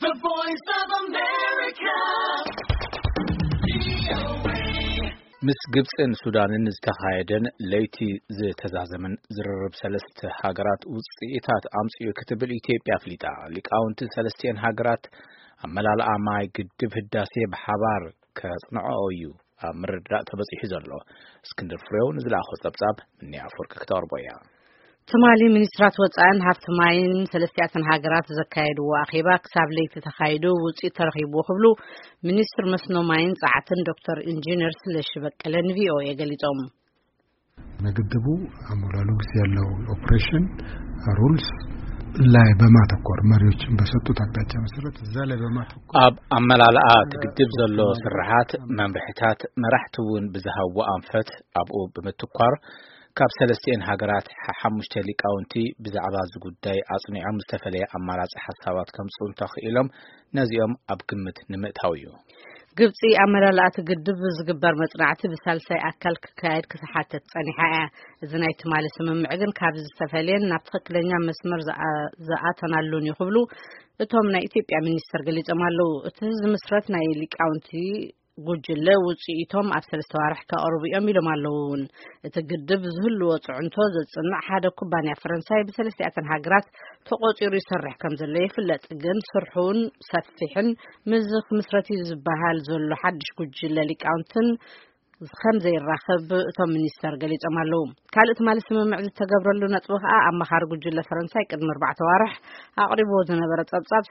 The Voice of America. ምስ ግብፅን ሱዳንን ዝተኻየደን ለይቲ ዝተዛዘመን ዝርርብ ሰለስተ ሃገራት ውፅኢታት ኣምፅኡ ክትብል ኢትዮጵያ ኣፍሊጣ። ሊቃውንቲ ሰለስቲኤን ሃገራት ኣመላልኣ ማይ ግድብ ህዳሴ ብሓባር ከፅንዖ እዩ ኣብ ምርድዳእ ተበፂሑ ዘሎ። እስክንድር ፍሬው ንዝለኣኾ ፀብፃብ ምንያ ኣፈወርቂ ክተቕርቦ እያ። ትማሊ ሚኒስትራት ወፃእን ሃፍቲ ማይን ሰለስቲኣተን ሃገራት ዘካየድዎ ኣኼባ ክሳብ ለይቲ ተኻይዱ ውፅኢት ተረኺብዎ ክብሉ ሚኒስትር መስኖ ማይን ፃዕትን ዶክተር ኢንጂነር ስለሺ በቀለ ንቪኦኤ ገሊፆም። ግድቡ አሞላሉ ጊዜ ያለው ኦፕሬሽን ሩልስ ላይ በማተኮር መሪዎችን በሰጡት አቅጣጫ መሰረት እዛ ላይ በማተኮር ኣብ ኣመላልኣ እቲ ግድብ ዘሎ ስርሓት፣ መምርሕታት፣ መራሕቲ እውን ብዝሃብዎ ኣንፈት ኣብኡ ብምትኳር ካብ ሰለስቲኤን ሃገራት ሓሙሽተ ሊቃውንቲ ብዛዕባ እዚ ጉዳይ ኣጽኒዖም ዝተፈለየ ኣማራጺ ሓሳባት ከምጽኡ እንተኽኢሎም ነዚኦም ኣብ ግምት ንምእታው እዩ። ግብጺ ኣመላልኣቲ ግድብ ዝግበር መጽናዕቲ ብሳልሳይ ኣካል ክካየድ ክትሓተት ጸኒሓ እያ። እዚ ናይ ትማሊ ስምምዕ ግን ካብ ዝተፈለየን ናብ ትኽክለኛ መስመር ዝኣተናሉን እዩ ክብሉ እቶም ናይ ኢትዮጵያ ሚኒስተር ገሊጾም ኣለዉ። እቲ ዝምስረት ናይ ሊቃውንቲ ጉጅለ ውጽኢቶም ኣብ ሰለስተ ዋርሕ ከቕርቡ እዮም ኢሎም ኣለዉ። እውን እቲ ግድብ ዝህልዎ ጽዕንቶ ዘጽንዕ ሓደ ኩባንያ ፈረንሳይ ብሰለስቲኣተን ሃገራት ተቖጺሩ ይሰርሕ ከም ዘሎ ይፍለጥ። ግን ስርሑን ሰፊሕን ምዝ ክምስረት እዩ ዝበሃል ዘሎ ሓድሽ ጉጅለ ሊቃውንትን ከም ዘይራኸብ እቶም ሚኒስተር ገሊጾም ኣለዉ። ካልእ ትማሊ ስምምዕ ዝተገብረሉ ነጥቢ ከኣ ኣማኻሪ ጉጅለ ፈረንሳይ ቅድሚ ኣርባዕተ ዋርሕ ኣቕሪብዎ ዝነበረ ጸብጻብ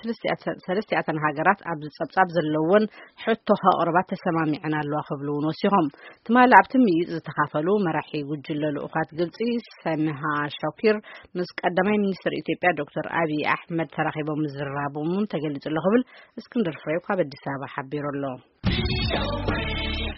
ሰለስቲኣተን ሃገራት ኣብዚ ጸብጻብ ዘለወን ሕቶ ከቕርባ ተሰማሚዐን ኣለዋ ክብሉ እውን ወሲኾም። ትማሊ ኣብቲ ምይይጥ ዝተኻፈሉ መራሒ ጉጅለ ልኡኻት ግብጺ ሰምሃ ሻኪር ምስ ቀዳማይ ሚኒስትር ኢትዮጵያ ዶክተር ኣብይ ኣሕመድ ተራኺቦም ምዝርራቦም እውን ተገሊጹ ኣሎ ክብል እስክንድር ፍሬው ካብ ኣዲስ ኣበባ ሓቢሩ ኣሎ።